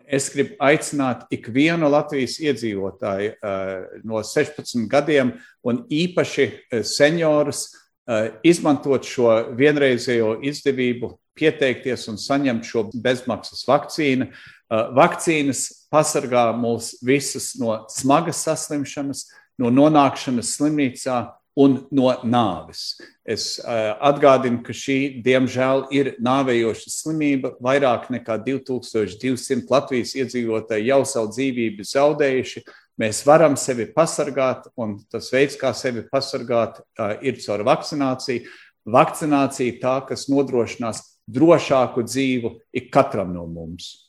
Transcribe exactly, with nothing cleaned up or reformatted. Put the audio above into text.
es gribu aicināt ikvienu Latvijas iedzīvotāju no sešpadsmit gadiem un īpaši seniorus izmantot šo vienreizējo izdevību, pieteikties un saņemt šo bezmaksas vakcīnu. Vakcīnas pasargā mūs visus no smagas saslimšanas, no nonākšanas slimnīcā un no nāves. Es atgādinu, ka šī, diemžēl, ir nāvējoša slimība. Vairāk nekā divi tūkstoši divi simti Latvijas iedzīvotāji jau savu dzīvību zaudējuši. Mēs varam sevi pasargāt, un tas veids, kā sevi pasargāt, ir caur vakcināciju. Vakcinācija tā, kas nodrošinās drošāku dzīvu ik katram no mums.